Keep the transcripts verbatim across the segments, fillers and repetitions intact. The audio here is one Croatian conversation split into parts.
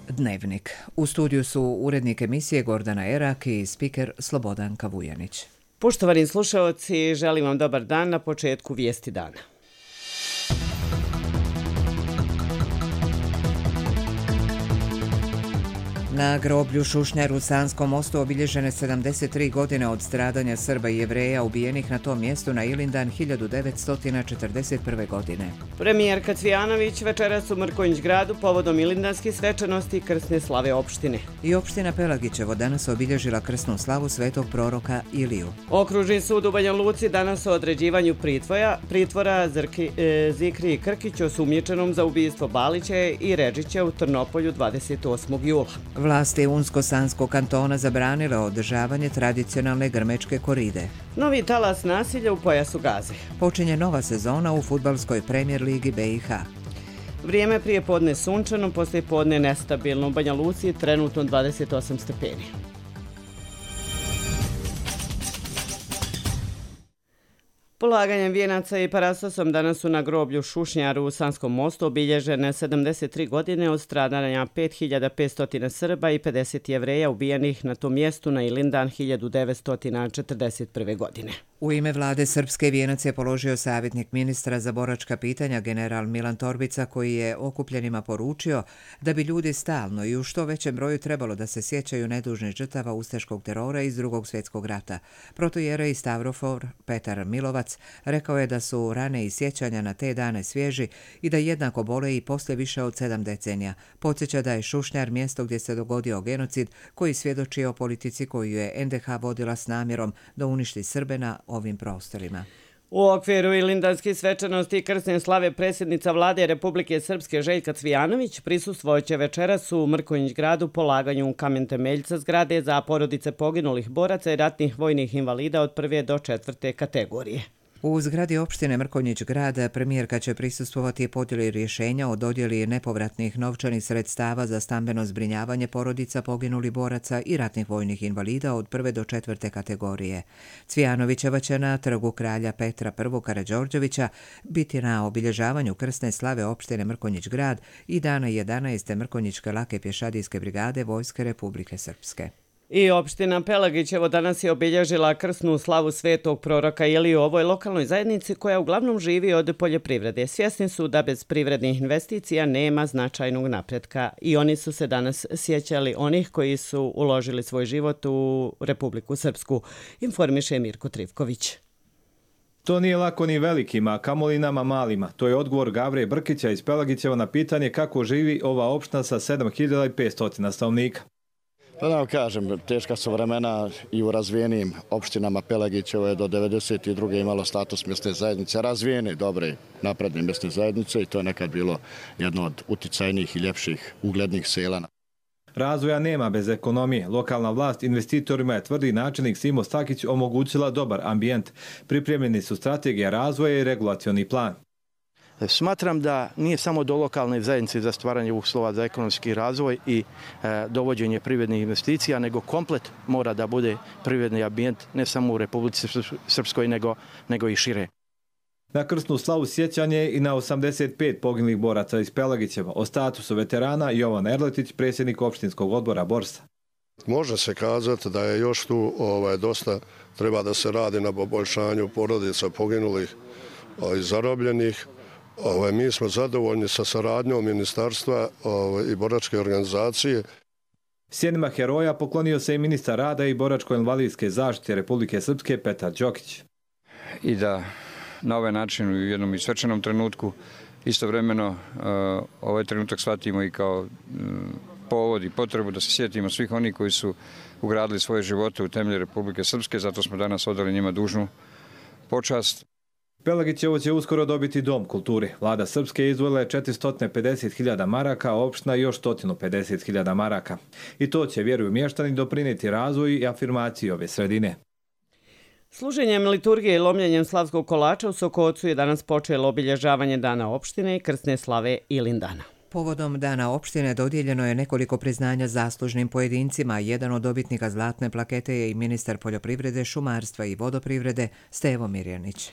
Dnevnik. U studiju su urednik emisije Gordana Erak i spiker Slobodanka Vujanić. Poštovani slušaoci, želim vam dobar dan na početku vijesti dana. Na groblju Šušnjar u Sanskom mostu obilježene sedamdeset tri godine od stradanja Srba i Jevreja ubijenih na tom mjestu na Ilindan hiljadu devetsto četrdeset prve. godine. Premijerka Cvijanović večeras u Mrkonjić gradu povodom ilindanskih svečanosti i krsne slave opštine. I opština Pelagićevo danas obilježila krsnu slavu svetog proroka Iliju. Okružni sud u Banja Luci danas o određivanju pritvora, pritvora Zrki, e, Zikri Krkić osumnjičenom za ubistvo Balića i Redžića u Trnopolju dvadeset osmog jula. Vlasti Unsko-Sanskog kantona zabranile održavanje tradicionalne grmečke koride. Novi talas nasilja u pojasu Gaze. Počinje nova sezona u fudbalskoj premijer ligi B i H. Vrijeme prije podne sunčano, poslije podne nestabilno. U Banja Luci trenutno dvadeset osam stepeni. Polaganjem vijenaca i parastosom danas su na groblju Šušnjaru u Sanskom mostu obilježene sedamdeset tri godine od stradanja pet hiljada petsto Srba i pedeset Jevreja ubijenih na tom mjestu na Ilindan hiljadu devetsto četrdeset prve. godine. U ime vlade Srpske vijenac je položio savjetnik ministra za boračka pitanja general Milan Torbica, koji je okupljenima poručio da bi ljudi stalno i u što većem broju trebalo da se sjećaju nedužnih žrtava ustaškog terora iz Drugog svjetskog rata. Protojerej Stavrofor Petar Milovac rekao je da su rane i sjećanja na te dane svježi i da jednako bole i poslije više od sedam decenija. Podsjeća da je Šušnjar mjesto gdje se dogodio genocid koji svjedoči o politici koju je en de ha vodila s namjerom da uništi Srbe na ovim prostorima. U okviru ilindanskih svečanosti i krsne slave predsjednica vlade Republike Srpske Željka Cvijanović prisustvovat će večeras u Mrkonjić gradu polaganju kamen temeljca zgrade za porodice poginulih boraca i ratnih vojnih invalida od prve do četvrte kategorije. U zgradi opštine Mrkonjić grad premijerka će prisustvovati podjeli rješenja o dodjeli nepovratnih novčanih sredstava za stambeno zbrinjavanje porodica poginulih boraca i ratnih vojnih invalida od prve do četvrte kategorije. Cvijanovićeva će na trgu kralja Petra I. Karađorđevića biti na obilježavanju krsne slave opštine Mrkonjić grad i dana jedanaeste Mrkonjićke lake pješadijske brigade Vojske Republike Srpske. I opština Pelagićevo danas je obilježila krsnu slavu svetog proroka Iliju u ovoj lokalnoj zajednici koja uglavnom živi od poljoprivrede. Svjesni su da bez privrednih investicija nema značajnog napretka i oni su se danas sjećali onih koji su uložili svoj život u Republiku Srpsku, informiše Mirko Trivković. To nije lako ni velikima, a kamoli nama malima. To je odgovor Gavre Brkića iz Pelagićeva na pitanje kako živi ova opština sa sedam hiljada petsto stanovnika. Pa da vam kažem, teška su vremena i u razvijenim opštinama. Pelagićevo je do devedeset druge imalo status mjesne zajednice, razvijene, dobre, napredne mjesne zajednice i to je nekad bilo jedno od uticajnijih i ljepših uglednih sela. Razvoja nema bez ekonomije. Lokalna vlast investitorima je, tvrdi načelnik Simo Stakić, omogućila dobar ambijent. Pripremljeni su strategija razvoja i regulacioni plan. Smatram da nije samo do lokalne zajednice za stvaranje uslova za ekonomski razvoj i e, dovođenje privrednih investicija, nego komplet mora da bude privredni ambijent ne samo u Republici Srpskoj, nego, nego i šire. Na krsnu slavu sjećanje i na osamdeset pet poginulih boraca iz Pelagićeva. O statusu veterana Jovan Erletić, predsjednik opštinskog odbora Borsa. Može se kazati da je još tu ovaj, dosta treba da se radi na poboljšanju porodica poginulih i zarobljenih. Ovaj, mi smo zadovoljni sa saradnjom ministarstva ovaj, i boračke organizacije. Sjenima heroja poklonio se i ministar rada i boračko-invalidske zaštite Republike Srpske Petar Đokić. I da na ovaj način u jednom i svečanom trenutku istovremeno uh, ovaj trenutak shvatimo i kao uh, povod i potrebu da se sjetimo svih onih koji su ugradili svoje živote u temelje Republike Srpske, zato smo danas odali njima dužnu počast. Pelagićevo će uskoro dobiti dom kulture. Vlada Srpske izdvojila je četiristo pedeset hiljada maraka, a opština još sto pedeset hiljada maraka. I to će, vjeruju mještani, doprinijeti razvoju i afirmaciji ove sredine. Služenjem liturgije i lomljenjem slavskog kolača u Sokocu je danas počelo obilježavanje Dana opštine i krsne slave Ilindana. Povodom Dana opštine dodijeljeno je nekoliko priznanja zaslužnim pojedincima. Jedan od dobitnika zlatne plakete je i ministar poljoprivrede, šumarstva i vodoprivrede Stevo Mirjanić.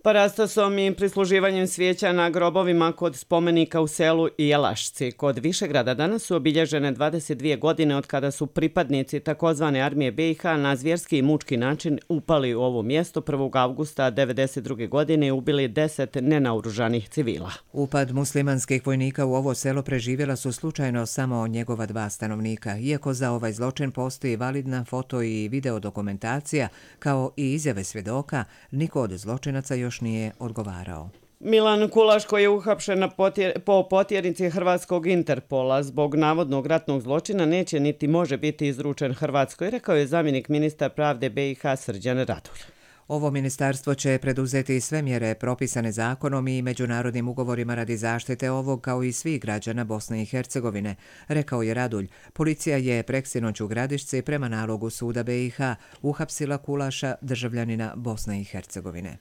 Parastosom i prisluživanjem svijeća na grobovima kod spomenika u selu Jelašci kod Višegrada danas su obilježene dvadeset dvije godine od kada su pripadnici takozvane armije B i H na zvjerski i mučki način upali u ovo mjesto prvog avgusta devedeset druge godine i ubili deset nenaoružanih civila. Upad muslimanskih vojnika u ovo selo preživjela su slučajno samo njegova dva stanovnika, iako za ovaj zločin postoji validna foto i video dokumentacija, kao i izjave svjedoka, niko od zločinaca još još nije odgovarao. Milan Kulaš, koji je uhapšen na potjer, po potjernici Hrvatskog Interpola zbog navodnog ratnog zločina, neće niti može biti izručen Hrvatskoj, rekao je zamjenik ministra pravde B i H Srđan Radulj. Ovo ministarstvo će preduzeti sve mjere propisane zakonom i međunarodnim ugovorima radi zaštite ovog kao i svih građana Bosne i Hercegovine, rekao je Radulj. Policija je preksinoć u Gradišci prema nalogu suda B i H uhapsila Kulaša, državljanina Bosne i Hercegovine.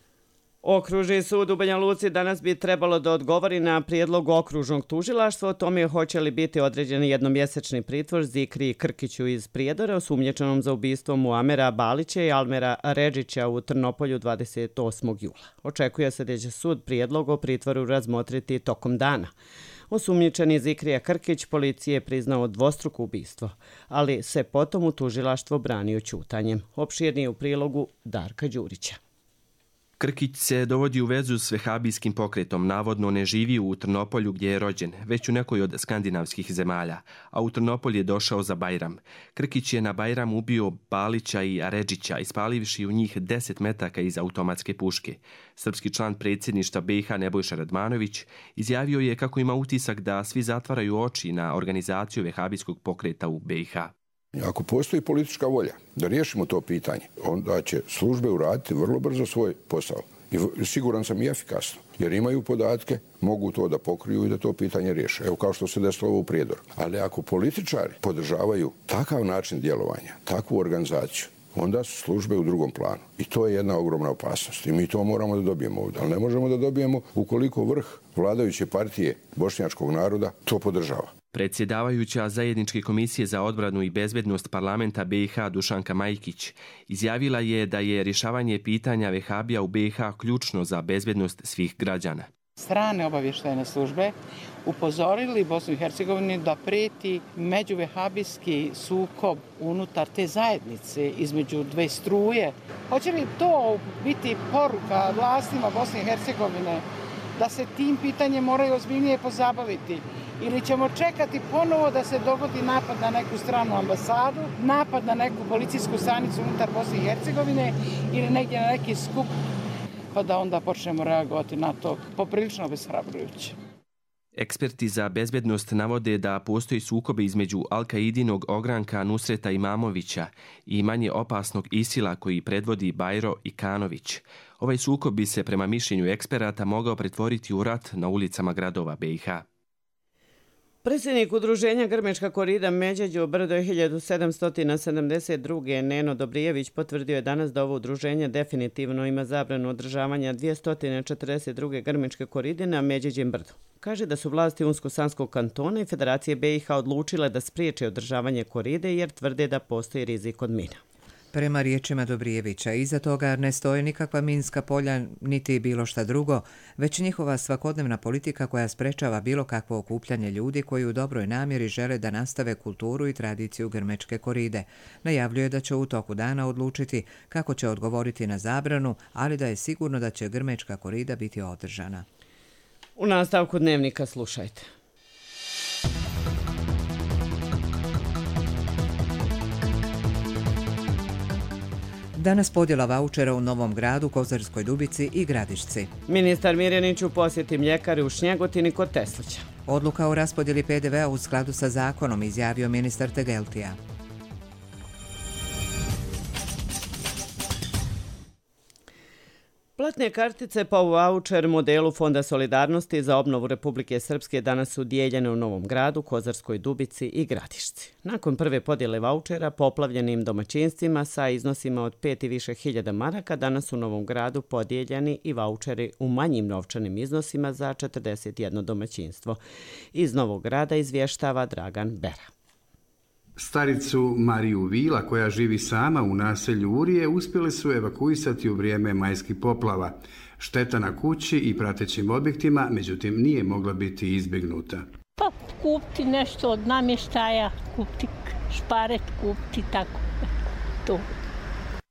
Okružni sud u Banja Luci danas bi trebalo da odgovori na prijedlog okružnog tužilaštva o tome hoće li biti određen jednomjesečni pritvor Zikri Krkiću iz Prijedora osumnjičenom za ubistvo Muamera Balića i Almera Redžića u Trnopolju dvadeset osmog jula. Očekuje se da će sud prijedlog o pritvoru razmotriti tokom dana. Osumnjičeni Zikrija Krkić policije je priznao dvostruko ubistvo, ali se potom u tužilaštvo branio ćutanjem. Opširnije u prilogu Darka Đurića. Krkić se dovodi u vezu s vehabijskim pokretom, navodno ne živi u Trnopolju gdje je rođen, već u nekoj od skandinavskih zemalja, a u Trnopolj je došao za Bajram. Krkić je na Bajram ubio Balića i Redžića, ispalivši u njih deset metaka iz automatske puške. Srpski član predsjedništva B i H Nebojša Radmanović izjavio je kako ima utisak da svi zatvaraju oči na organizaciju vehabijskog pokreta u B i H. Ako postoji politička volja da riješimo to pitanje, onda će službe uraditi vrlo brzo svoj posao. I siguran sam i efikasno, jer imaju podatke, mogu to da pokriju i da to pitanje riješe. Evo kao što se desilo ovo u Prijedoru. Ali ako političari podržavaju takav način djelovanja, takvu organizaciju, onda su službe u drugom planu. I to je jedna ogromna opasnost. I mi to moramo da dobijemo ovdje. Ali ne možemo da dobijemo ukoliko vrh vladajuće partije bošnjačkog naroda to podržava. Predsjedavajuća Zajedničke komisije za odbranu i bezbednost parlamenta B i H Dušanka Majkić izjavila je da je rješavanje pitanja vehabija u B i H ključno za bezbednost svih građana. Strane obavještajne službe upozorili Bosnu i Hercegovinu da preti međuvehabijski sukob unutar te zajednice između dve struje. Hoće li to biti poruka vlastima Bosne i Hercegovine da se tim pitanjem moraju ozbiljnije pozabaviti? Ili ćemo čekati ponovo da se dogodi napad na neku stranu ambasadu, napad na neku policijsku stanicu unutar Bosne i Hercegovine ili negdje na neki skup, pa da onda počnemo reagovati na to poprilično obeshrabrujuće. Eksperti za bezbednost navode da postoji sukobe između Al-Kaidinog ogranka Nusreta Imamovića i manje opasnog Isila koji predvodi Bajro Ikanović. Ovaj sukob bi se prema mišljenju eksperata mogao pretvoriti u rat na ulicama gradova B i H. Predsjednik udruženja Grmečka korida Međeđo Brdo hiljadu sedamsto sedamdeset druge Neno Dobrijević potvrdio je danas da ovo udruženje definitivno ima zabranu održavanja dvjesto četrdeset druge Grmečke koride na Međeđem Brdu. Kaže da su vlasti Unsko-Sanskog kantona i Federacije B i H odlučile da spriječe održavanje koride jer tvrde da postoji rizik od mina. Prema riječima Dobrijevića, iza toga ne stoje nikakva minska polja niti bilo šta drugo, već njihova svakodnevna politika koja sprečava bilo kakvo okupljanje ljudi koji u dobroj namjeri žele da nastave kulturu i tradiciju Grmečke koride. Najavljuje da će u toku dana odlučiti kako će odgovoriti na zabranu, ali da je sigurno da će Grmečka korida biti održana. U nastavku dnevnika slušajte. Danas podjela vaučera u Novom Gradu, Kozarskoj Dubici i Gradišci. Ministar Mirjanić u posjeti mljekari u Šnjegotini kod Teslića. Odluka o raspodjeli P D V-a u skladu sa zakonom, izjavio ministar Tegeltija. Platne kartice po vaučer modelu Fonda solidarnosti za obnovu Republike Srpske danas su dijeljene u Novom Gradu, Kozarskoj Dubici i Gradišci. Nakon prve podjele vaučera poplavljenim domaćinstvima sa iznosima od pet i više hiljada maraka, danas u Novom Gradu podijeljeni i vaučeri u manjim novčanim iznosima za četrdeset jedno domaćinstvo. Iz Novog Grada izvještava Dragan Bera. Staricu Mariju Vila, koja živi sama u naselju Urije, uspjeli su evakuisati u vrijeme majskih poplava. Šteta na kući i pratećim objektima, međutim, nije mogla biti izbjegnuta. Pa kupiti nešto od namještaja, kupiti šparet, kupiti tako to.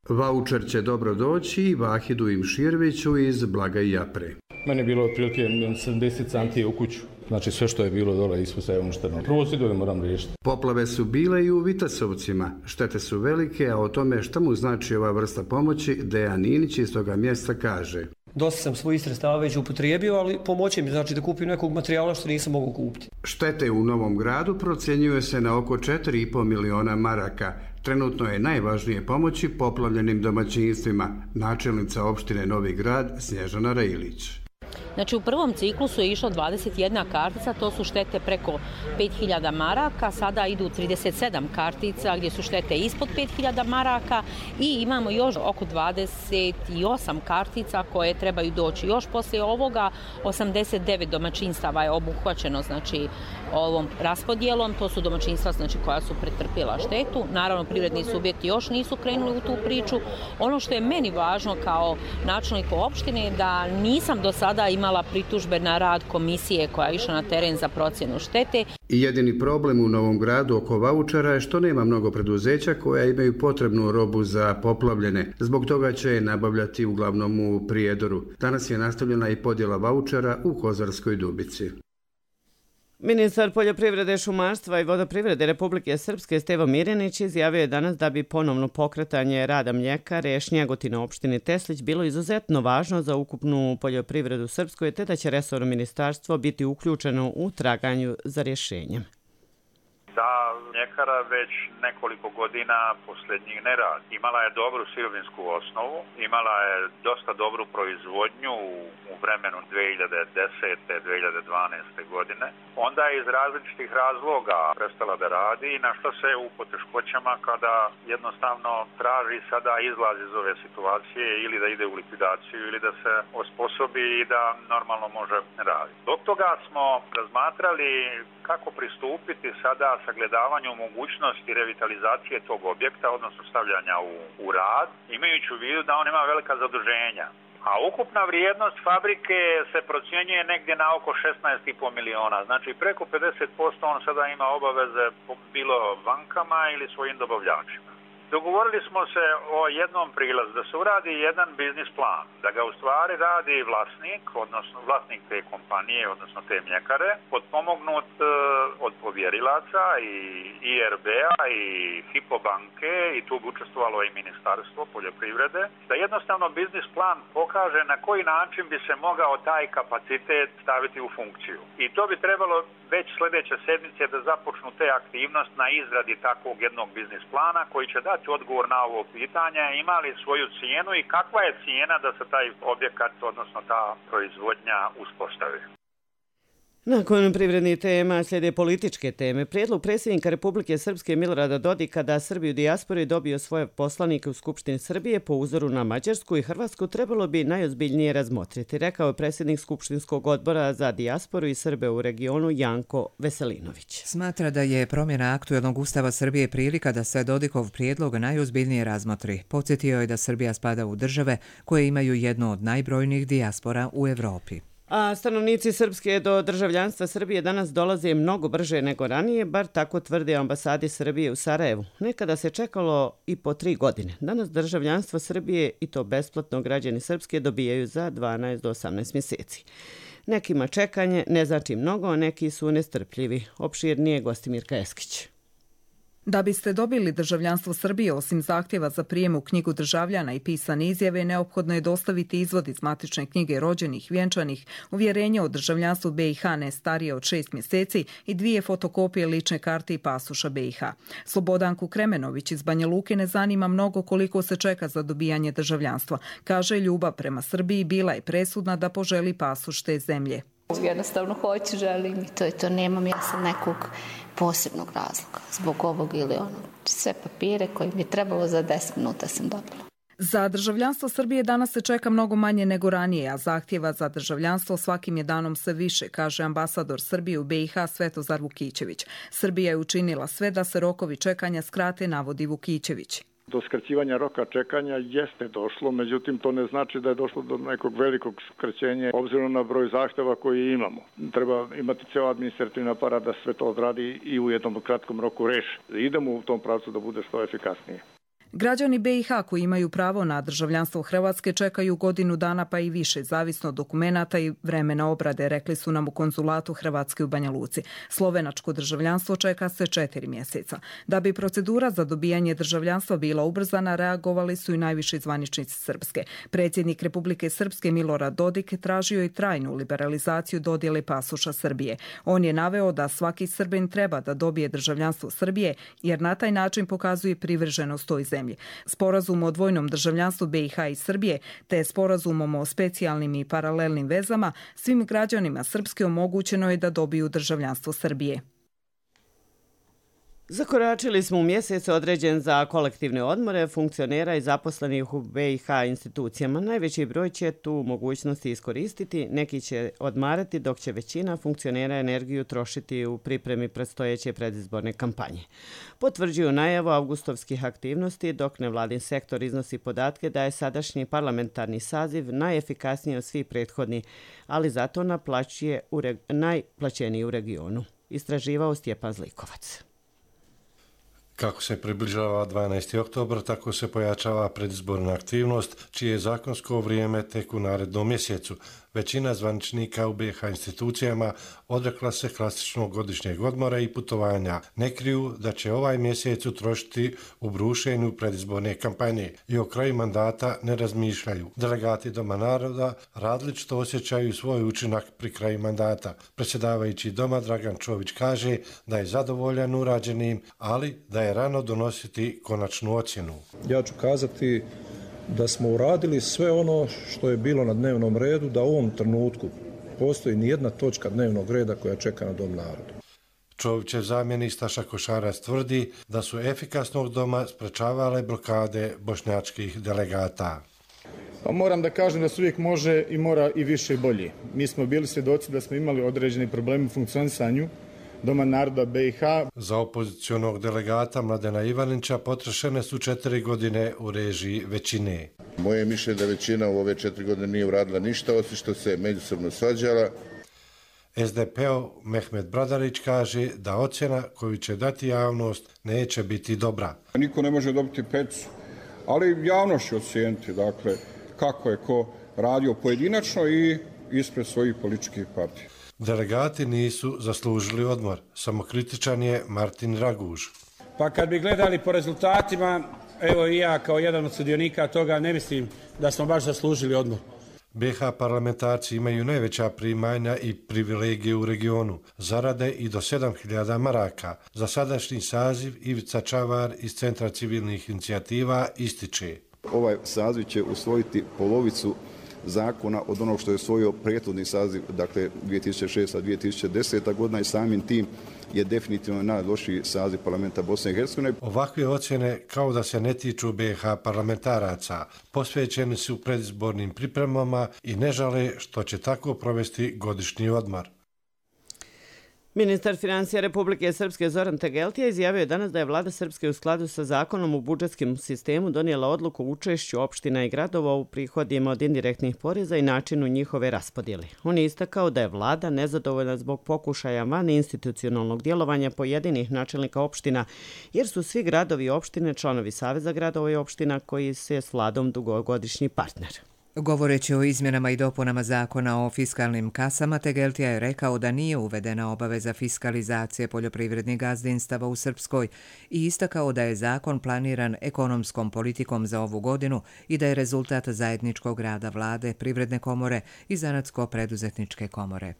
Vaučer će dobro doći i Vahidu Imširviću iz Blaga i Japre. Meni je bilo otprilike sedamdeset santi u kuću. Znači sve što je bilo dole ispod sve uništeno. Prvo sidove moram riješiti. Poplave su bile i u Vitasovcima. Štete su velike, a o tome šta mu znači ova vrsta pomoći, Dejan Inić iz toga mjesta kaže. Dosta sam svojih sredstava već upotrijebio, ali pomoći mi znači da kupim nekog materijala što nisam mogao kupiti. Štete u Novom Gradu procjenjuje se na oko četiri i pol miliona maraka. Trenutno je najvažnije pomoći poplavljenim domaćinstvima, načelnica opštine Novi Grad Snježana Rajilić. Znači u prvom ciklusu je išlo dvadeset jedna kartica, to su štete preko pet hiljada maraka, sada idu trideset sedam kartica gdje su štete ispod pet hiljada maraka i imamo još oko dvadeset osam kartica koje trebaju doći. Još poslije ovoga osamdeset devet domaćinstava je obuhvaćeno znači ovom raspodjelom, to su domaćinstva znači koja su pretrpjela štetu. Naravno privredni subjekti još nisu krenuli u tu priču. Ono što je meni važno kao načelniku opštine je da nisam do sada imala pritužbe na rad komisije koja je išla na teren za procjenu štete. I jedini problem u Novom Gradu oko vaučera je što nema mnogo preduzeća koja imaju potrebnu robu za poplavljene. Zbog toga će je nabavljati uglavnom u Prijedoru. Danas je nastavljena i podjela vaučera u Kozarskoj Dubici. Ministar poljoprivrede, šumarstva i vodoprivrede Republike Srpske Stevo Mirjanić izjavio je danas da bi ponovno pokretanje rada mljekare Šnjegotina u opštini Teslić bilo izuzetno važno za ukupnu poljoprivredu Srpskoj, te da će resorno ministarstvo biti uključeno u traganju za rješenjem. Da mljekara već nekoliko godina posljednjih ne radi. Imala je dobru sirovinsku osnovu, imala je dosta dobru proizvodnju u vremenu dvije hiljade desete do dvije hiljade dvanaeste. godine. Onda je iz različitih razloga prestala da radi i našla se u poteškoćama kada jednostavno traži sada izlaz iz ove situacije ili da ide u likvidaciju ili da se osposobi i da normalno može raditi. Zbog toga smo razmatrali kako pristupiti sada sagledavanju mogućnosti revitalizacije tog objekta, odnosno stavljanja u, u rad, imajući u vidu da on ima velika zaduženja. A ukupna vrijednost fabrike se procjenjuje negdje na oko šesnaest i pol miliona. Znači preko pedeset posto on sada ima obaveze bilo bankama ili svojim dobavljačima. Dogovorili smo se o jednom prilazu, da se uradi jedan biznis plan, da ga u stvari radi vlasnik, odnosno vlasnik te kompanije, odnosno te mljekare, potpomognut uh, od povjerilaca i I R B-a i Hypo banke i tu bi učestvovalo i Ministarstvo poljoprivrede, da jednostavno biznis plan pokaže na koji način bi se mogao taj kapacitet staviti u funkciju. I to bi trebalo već sljedeće sedmice da započnu te aktivnosti na izradi takvog jednog biznis plana koji će dati odgovor na ovo pitanje, ima li svoju cijenu i kakva je cijena da se taj objekat, odnosno ta proizvodnja uspostavi. Nakon privrednih tema slijede političke teme. Prijedlog predsjednika Republike Srpske Milorada Dodika da Srbi u dijaspori dobiju svoje poslanike u Skupštini Srbije po uzoru na Mađarsku i Hrvatsku trebalo bi najozbiljnije razmotriti, rekao je predsjednik Skupštinskog odbora za dijasporu i Srbe u regionu Janko Veselinović. Smatra da je promjena aktuelnog ustava Srbije prilika da se Dodikov prijedlog najozbiljnije razmotri. Podsjetio je da Srbija spada u države koje imaju jednu od najbrojnijih dijaspora u Evropi. A stanovnici Srpske do državljanstva Srbije danas dolaze mnogo brže nego ranije, bar tako tvrde ambasadi Srbije u Sarajevu. Nekada se čekalo i po tri godine. Danas državljanstvo Srbije, i to besplatno, građani Srpske dobijaju za dvanaest do osamnaest mjeseci. Nekima čekanje ne znači mnogo, a neki su nestrpljivi. Opširnije Gostimirka Eskić. Da biste dobili državljanstvo Srbije, osim zahtjeva za prijem u knjigu državljana i pisane izjave, neophodno je dostaviti izvod iz matične knjige rođenih, vjenčanih, uvjerenje o državljanstvu B i H ne starije od šest mjeseci i dvije fotokopije lične karte i pasoša B i H. Slobodanku Kremenović iz Banja Luke ne zanima mnogo koliko se čeka za dobijanje državljanstva. Kaže, ljubav prema Srbiji bila je presudna da poželi pasoš te zemlje. Jednostavno hoću, želim i to je to. Nemam ja sam nekog posebnog razloga zbog ovog ili onog. Sve papire koje mi je trebalo za deset minuta sam dobila. Za državljanstvo Srbije danas se čeka mnogo manje nego ranije, a zahtjeva za državljanstvo svakim je danom sve više, kaže ambasador Srbije u B i H Svetozar Vukićević. Srbija je učinila sve da se rokovi čekanja skrate, navodi Vukićević. Do skraćivanja roka čekanja jeste došlo, međutim to ne znači da je došlo do nekog velikog skraćenja obzirom na broj zahtjeva koji imamo. Treba imati cijel administrativni aparat da sve to odradi i u jednom kratkom roku reši. Idemo u tom pravcu da bude što efikasnije. Građani B i H koji imaju pravo na državljanstvo Hrvatske čekaju godinu dana pa i više, zavisno od dokumenata i vremena obrade, rekli su nam u konzulatu Hrvatske u Banja Luci. Slovenačko državljanstvo čeka se četiri mjeseca. Da bi procedura za dobijanje državljanstva bila ubrzana, reagovali su i najviši zvaničnici Srpske. Predsjednik Republike Srpske Milorad Dodik tražio i trajnu liberalizaciju dodjele pasoša Srbije. On je naveo da svaki Srbin treba da dobije državljanstvo Srbije jer na taj način pokazuje privrženost toj zemlji. Sporazum o dvojnom državljanstvu B i H i Srbije te sporazumom o specijalnim i paralelnim vezama svim građanima Srpske omogućeno je da dobiju državljanstvo Srbije. Zakoračili smo u mjesec određen za kolektivne odmore funkcionera i zaposlenih u B i H institucijama. Najveći broj će tu mogućnosti iskoristiti, neki će odmarati dok će većina funkcionera energiju trošiti u pripremi predstojeće predizborne kampanje. Potvrđuju najavu avgustovskih aktivnosti dok nevladin sektor iznosi podatke da je sadašnji parlamentarni saziv najefikasniji od svih prethodnih, ali zato naplaćuje u reg... najplaćeniji u regionu. Istraživao Stjepan Zlikovac. Kako se približava dvanaesti oktobar, tako se pojačava predizborna aktivnost, čije je zakonsko vrijeme tek u narednom mjesecu. Većina zvaničnika u B i H institucijama odrekla se klasičnog godišnjeg odmora i putovanja. Ne kriju da će ovaj mjesec utrošiti u brušenju predizborne kampanje i o kraju mandata ne razmišljaju. Delegati Doma naroda različito osjećaju svoj učinak pri kraju mandata. Predsjedavajući Doma Dragan Čović kaže da je zadovoljan urađenim, ali da je rano donositi konačnu ocjenu. Ja ću kazati da smo uradili sve ono što je bilo na dnevnom redu, da u ovom trenutku postoji nijedna točka dnevnog reda koja čeka na Dom naroda. Čovićev zamjenik Staša Košarac tvrdi da su efikasnog doma sprečavale blokade bošnjačkih delegata. Pa moram da kažem da se uvijek može i mora i više i bolje. Mi smo bili svjedoci da smo imali određeni problemi u funkcionisanju Doma naroda B i H. Za opozicionog delegata Mladena Ivanića potrošene su četiri godine u režiji većine. Moje mišljenje da većina u ove četiri godine nije uradila ništa, osim što se međusobno svađala. S D P-ov Mehmet Bradarić kaže da ocjena koju će dati javnost neće biti dobra. Niko ne može dobiti pecu, ali javnost će ocijeniti, dakle, kako je ko radio pojedinačno i ispred svojih političkih partija. Delegati nisu zaslužili odmor. Samokritičan je Martin Raguž. Pa kad bi gledali po rezultatima, evo i ja kao jedan od sudionika toga ne mislim da smo baš zaslužili odmor. B i H parlamentarci imaju najveća primanja i privilegije u regionu. Zarade i do sedam hiljada maraka. Za sadašnji saziv Ivica Čavar iz Centra civilnih inicijativa ističe. Ovaj saziv će usvojiti polovicu zakona od onog što je usvojio prethodni saziv, dakle dvije tisuće šesta do dvije tisuće deseta godina i samim tim je definitivno najlošiji saziv parlamenta Bosne i Hercegovine. Ovakve ocjene kao da se ne tiču B i H parlamentaraca. Posvećeni su predizbornim pripremama i ne žale što će tako provesti godišnji odmor. Ministar financija Republike Srpske Zoran Tegeltija izjavio je danas da je vlada Srpske u skladu sa zakonom u budžetskom sistemu donijela odluku o učešću opština i gradova u prihodima od indirektnih poreza i načinu njihove raspodjele. On je istakao da je vlada nezadovoljna zbog pokušaja van institucionalnog djelovanja pojedinih načelnika opština, jer su svi gradovi i opštine članovi Saveza gradova i opština koji se s vladom dugogodišnji partner. Govoreći o izmjenama i dopunama zakona o fiskalnim kasama, Tegeltija je rekao da nije uvedena obaveza fiskalizacije poljoprivrednih gazdinstava u Srpskoj i istakao da je zakon planiran ekonomskom politikom za ovu godinu i da je rezultat zajedničkog rada vlade, privredne komore i zanatsko-preduzetničke komore.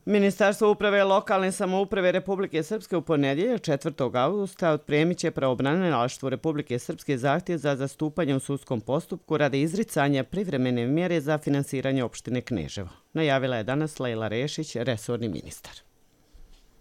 Ministarstvo uprave lokalne samouprave Republike Srpske u ponedjeljak četvrtog avgusta otpremit će pravobranilaštvu Republike Srpske zahtjev za zastupanje u sudskom postupku radi izricanja privremene mjere za finansiranje opštine Kneževo. Najavila je danas Lejla Rešić, resorni ministar.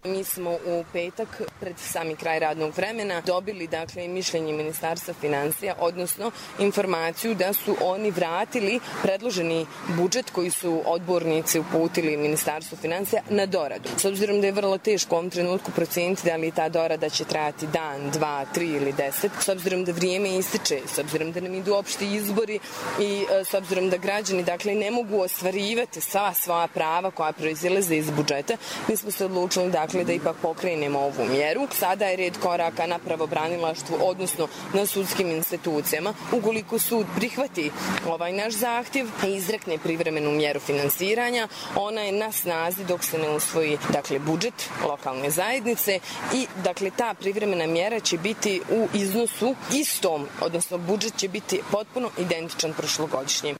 Mi smo u petak pred sami kraj radnog vremena dobili dakle mišljenje Ministarstva financija, odnosno informaciju da su oni vratili predloženi budžet koji su odbornici uputili Ministarstvu financija na doradu. S obzirom da je vrlo teško u ovom trenutku procijeniti da li ta dorada će trajati dan, dva, tri ili deset, s obzirom da vrijeme ističe, s obzirom da nam idu opšti izbori i s obzirom da građani dakle ne mogu ostvarivati sva svoja prava koja proizilaze iz budžeta, mi smo se odlučili da Dakle, da ipak pokrenemo ovu mjeru. Sada je red koraka na pravobranilaštvu, odnosno na sudskim institucijama. Ukoliko sud prihvati ovaj naš zahtjev i izrekne privremenu mjeru finansiranja, ona je na snazi dok se ne usvoji dakle, budžet lokalne zajednice i dakle, ta privremena mjera će biti u iznosu istom, odnosno budžet će biti potpuno identičan prošlogodišnjem.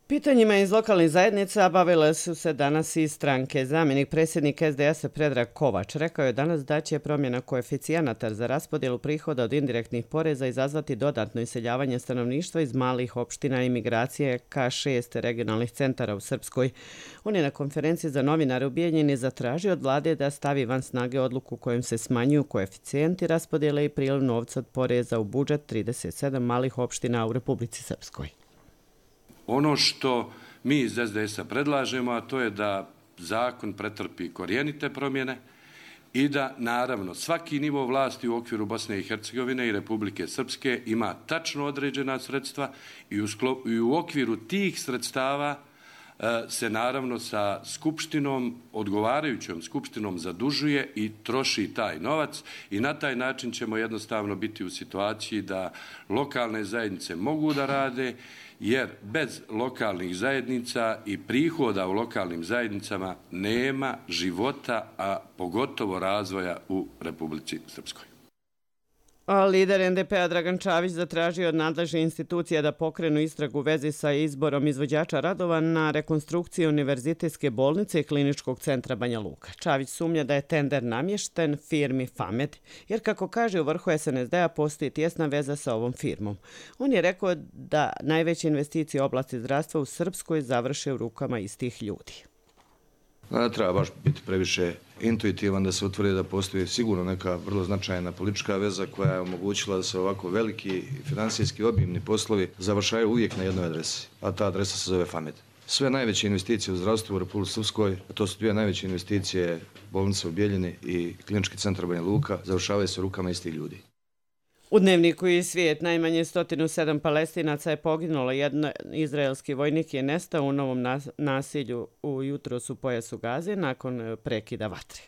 Pitanjima iz lokalnih zajednica bavile su se danas i stranke. Zamjenik predsjednika S D S-a Predrag Kovač rekao je danas da će promjena koeficijenata za raspodjelu prihoda od indirektnih poreza izazvati dodatno iseljavanje stanovništva iz malih opština i migracije ka šest regionalnih centara u Srpskoj. On je na konferenciji za novinare u Bijeljini zatražio od vlade da stavi van snage odluku kojom se smanjuju koeficijenti raspodjele i priliv novca od poreza u budžet trideset sedam malih opština u Republici Srpskoj. Ono što mi iz S D S-a predlažemo, a to je da zakon pretrpi korijenite promjene i da, naravno, svaki nivo vlasti u okviru Bosne i Hercegovine i Republike Srpske ima tačno određena sredstva i u, sklop, i u okviru tih sredstava se, naravno, sa skupštinom, odgovarajućom skupštinom zadužuje i troši taj novac i na taj način ćemo jednostavno biti u situaciji da lokalne zajednice mogu da rade, jer bez lokalnih zajednica i prihoda u lokalnim zajednicama nema života, a pogotovo razvoja u Republici Srpskoj. A lider N D P-a Dragan Čavić zatražio od nadležne institucije da pokrenu istragu u vezi sa izborom izvođača radova na rekonstrukciju Univerzitetske bolnice i Kliničkog centra Banja Luka. Čavić sumnja da je tender namješten firmi Famed, jer kako kaže u vrhu S N S D-a postoji tjesna veza sa ovom firmom. On je rekao da najveće investicije u oblasti zdravstva u Srpskoj završe u rukama istih ljudi. Ne treba baš biti previše intuitivan da se utvrdi da postoji sigurno neka vrlo značajna politička veza koja je omogućila da se ovako veliki finansijski obimni poslovi završaju uvijek na jednoj adresi, a ta adresa se zove Famed. Sve najveće investicije u zdravstvu u Republici Srpskoj, a to su dvije najveće investicije bolnice u Bijeljini i Klinički centar Banja Luka, završavaju se rukama istih ljudi. U Dnevniku i Svijet najmanje sto sedam Palestinaca je poginulo, jedan izraelski vojnik je nestao u novom nasilju u jutros u pojasu Gaze nakon prekida vatre.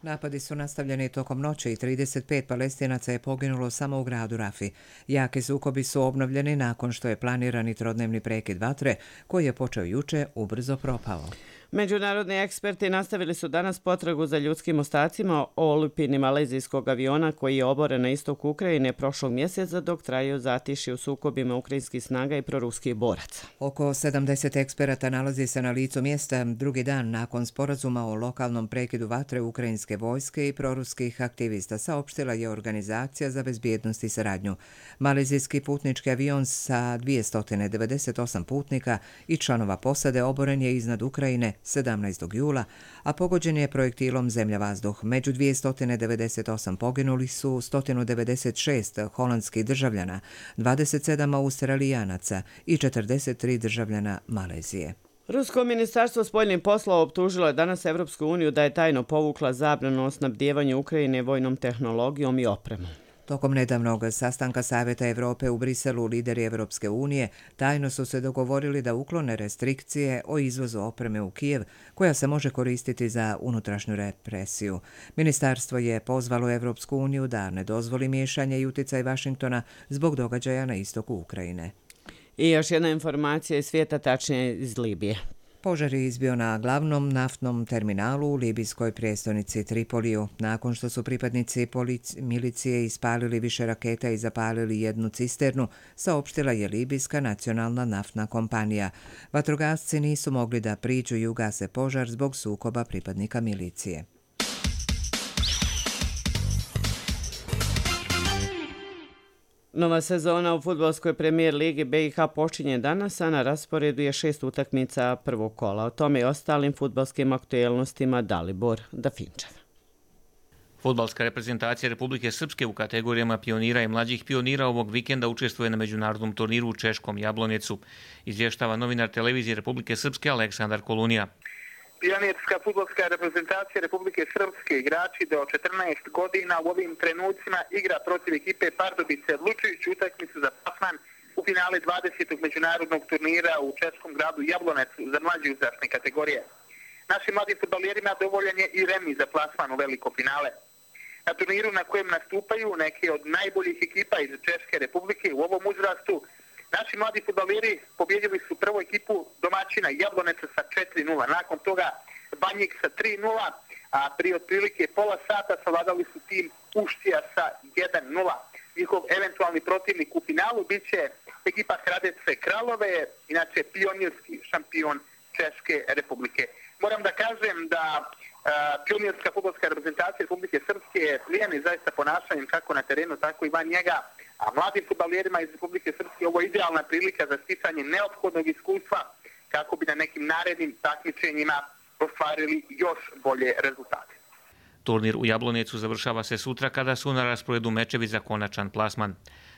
Napadi su nastavljeni tokom noći i trideset pet Palestinaca je poginulo samo u gradu Rafi. Jaki sukobi su obnovljeni nakon što je planirani trodnevni prekid vatre, koji je počeo juče, ubrzo propao. Međunarodni eksperti nastavili su danas potragu za ljudskim ostacima o olupini malezijskog aviona koji je oboren na istoku Ukrajine prošlog mjeseca dok traju zatišje u sukobima ukrajinskih snaga i proruskih boraca. Oko sedamdeset eksperata nalazi se na licu mjesta drugi dan nakon sporazuma o lokalnom prekidu vatre ukrajinske vojske i proruskih aktivista, saopštila je Organizacija za bezbjednost i saradnju. Malezijski putnički avion sa dvjesto devedeset osam putnika i članova posade oboren je iznad Ukrajine sedamnaestog jula, a pogođen je projektilom zemlja-vazduh. Među dvjesto devedeset osam poginuli su sto devedeset šest holandskih državljana, dvadeset sedam Australijanaca i četrdeset tri državljana Malezije. Rusko ministarstvo spoljnih poslova optužilo je danas Evropsku uniju da je tajno povukla zabranu o snabdijevanju Ukrajine vojnom tehnologijom i opremom. Tokom nedavnog sastanka Savjeta Evrope u Briselu lideri Evropske unije tajno su se dogovorili da uklone restrikcije o izvozu opreme u Kijev koja se može koristiti za unutrašnju represiju. Ministarstvo je pozvalo Evropsku uniju da ne dozvoli miješanje i utjecaj Vašingtona zbog događaja na istoku Ukrajine. I još jedna informacija iz svijeta, tačnije iz Libije. Požar je izbio na glavnom naftnom terminalu u libijskoj prijestolnici Tripoliju. Nakon što su pripadnici milicije ispalili više raketa i zapalili jednu cisternu, saopštila je libijska nacionalna naftna kompanija. Vatrogasci nisu mogli da priđu i ugase požar zbog sukoba pripadnika milicije. Nova sezona u fudbalskoj premijer ligi B i H počinje danas, a na rasporedu je šest utakmica prvog kola. O tome i ostalim fudbalskim aktuelnostima Dalibor Dafinčev. Fudbalska reprezentacija Republike Srpske u kategorijama pionira i mlađih pionira ovog vikenda učestvuje na međunarodnom turniru u Češkom Jablonecu. Izvještava novinar televizije Republike Srpske Aleksandar Kolunija. Pionirska fudbalska reprezentacija Republike Srpske, igrači do četrnaest godina u ovim trenucima igra protiv ekipe Pardubice, odlučujući utakmicu za plasman u finale dvadesetog međunarodnog turnira u Češkom gradu Jablonecu za mlađe uzrasne kategorije. Našim mladim fudbaljerima dovoljan je i remi za plasman u veliko finale. Na turniru na kojem nastupaju neke od najboljih ekipa iz Češke Republike u ovom uzrastu, naši mladi fudbaljeri pobjedili su prvu ekipu domaćina Jabloneca sa četiri nula. Nakon toga Banjik sa tri nula, a prije otprilike pola sata savladali su tim Uštija sa jedan nula. Njihov eventualni protivnik u finalu bit će ekipa Hradece Kralove, inače pionirski šampion Češke Republike. Moram da kažem da a, pionirska fudbalska reprezentacija Republike Srpske plijeni zaista ponašanjem kako na terenu, tako i van njega, a mladim fudbaljerima iz Republike Srpske ovo je idealna prilika za sticanje neophodnog iskustva kako bi na nekim narednim takmičenjima ostvarili još bolje rezultate. Turnir u Jablonecu završava se sutra kada su na rasporedu mečevi za konačan plasman.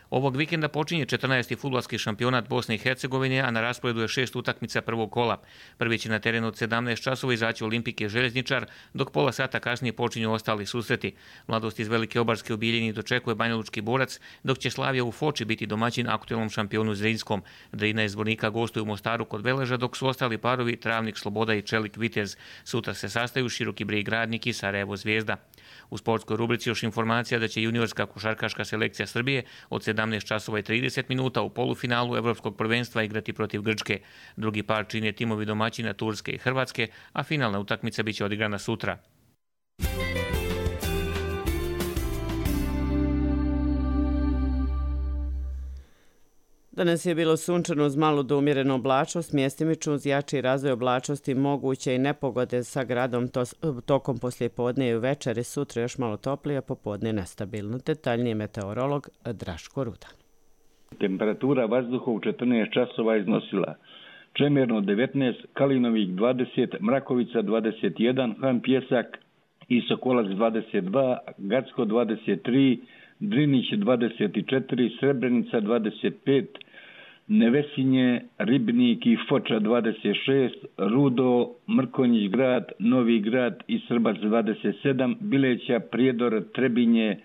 Ovog vikenda počinje četrnaesti fudbalski šampionat Bosne i Hercegovine, a na rasporedu je šest utakmica prvog kola. Prvi će na terenu od sedamnaest časova izaći Olimpike Željezničar, dok pola sata kasnije počinju ostali susreti. Mladost iz Velike Obarske u Bijeljini dočekuje Banjalučki Borac, dok će Slavija u Foči biti domaćin aktuelnom šampionu Zrinskom. Drina iz Zvornika gostuju u Mostaru kod Veleža, dok su ostali parovi Travnik Sloboda i Čelik Vitez. Sutra se sastaju Široki Brijeg Radnik i Sarajevo Zvijezda. U sportskoj rubrici još informacija da će juniorska košarkaška selekcija Srbije od sedamnaest časova i trideset minuta u polufinalu Evropskog prvenstva igrati protiv Grčke. Drugi par čine timovi domaćina Turske i Hrvatske, a finalna utakmica biće odigrana sutra. Danas je bilo sunčano uz malu do umjerenu oblačnost, mjestimično uz jači razvoj oblačnosti, moguće i nepogode sa gradom to, tokom poslijepodne i večeri, sutra još malo toplije, popodne nestabilno. Detaljnije meteorolog Draško Ruda. Temperatura vazduha u četrnaest časova iznosila Čemerno devetnaest, Kalinovik dvadeset, Mrakovica dvadeset jedan, Han Pjesak i Sokolac dvadeset dva, Gacko dvadeset tri, Drinić dvadeset četiri, Srebrenica dvadeset pet, Nevesinje, Ribnik i Foča dvadeset šest, Rudo, Mrkonjić grad, Novi grad i Srbac dvadeset sedam, Bileća, Prijedor, Trebinje,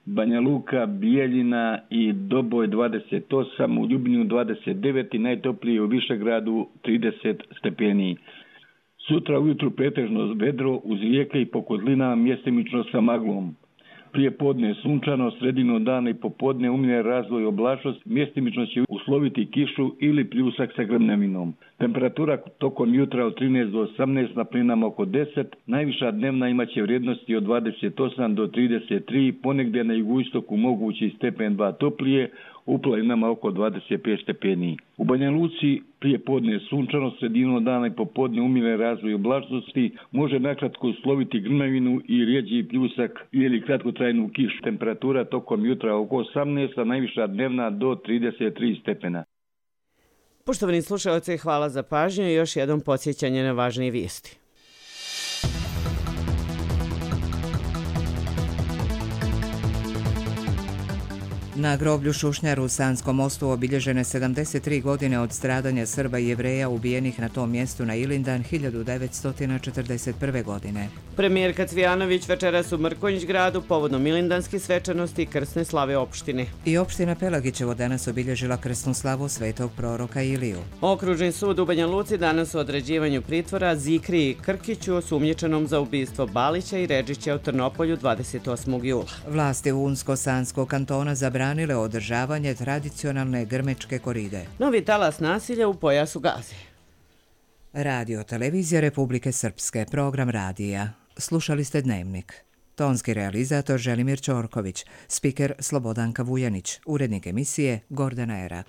Banja Luka, Bijeljina i Doboj dvadeset osam, u Ljubnju dvadeset devet i najtoplije u Višegradu trideset stepeni. Sutra ujutru pretežno vedro uz rijeke i po kozlinama mjestimično sa maglom. Prije podne sunčano, sredino dana i popodne umjeren razvoj oblačnost, mjestimično će usloviti kišu ili pljusak sa grmljavinom. Temperatura tokom jutra od trinaest do osamnaest, na plinama oko deset, najviša dnevna imaće vrijednosti od dvadeset osam do trideset tri, ponegdje na jugoistoku mogući stepen dva toplije, u planinama oko dvadeset pet stepeni. U Banja Luci prije podne sunčano, sredino dana i popodne umjeren razvoj oblačnosti, može nakratko usloviti grmljavinu i rijeđi pljusak ili kratkotrajnu kišu. Temperatura tokom jutra oko osamnaest, a najviša dnevna do trideset tri stepena. Poštovani slušalci, hvala za pažnju i još jednom podsjećanje na važnije vijesti. Na groblju Šušnjaru u Sanskom mostu obilježene sedamdeset tri godine od stradanja Srba i Jevreja ubijenih na tom mjestu na Ilindan hiljadu devetsto četrdeset prve. godine. Premijerka Cvijanović večeras u Mrkonjić gradu povodom ilindanske svečanosti i krsne slave opštine. I opština Pelagićevo danas obilježila krsnu slavu svetog proroka Iliju. Okružni sud u Banja Luci danas u određivanju pritvora Zikri i Krkiću osumnjičenom za ubistvo Balića i Redžića u Trnopolju dvadeset osmog jula. Vlasti Unsko-Sanskog kantona zabranile održavanje tradicionalne grmečke koride. Novi talas nasilja u pojasu Gaze. Radio televizija Republike Srpske, program radija. Slušali ste Dnevnik. Tonski realizator Želimir Ćorković, spiker Slobodanka Vujanić, urednik emisije Gordana Erak.